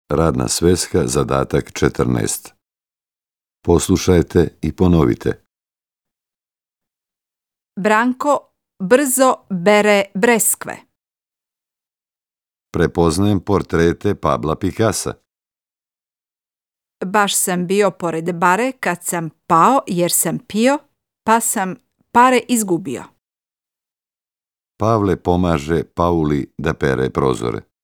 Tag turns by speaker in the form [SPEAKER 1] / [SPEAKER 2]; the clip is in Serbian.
[SPEAKER 1] Radna sveska, zadatak 14. Poslušajte i ponovite.
[SPEAKER 2] Branko brzo bere breskve.
[SPEAKER 1] Prepoznajem portrete Pabla Picassa.
[SPEAKER 2] Baš sam bio pored bare kad sam pao jer sam pio, pa sam pare izgubio.
[SPEAKER 1] Pavle pomaže Pauli da pere prozore.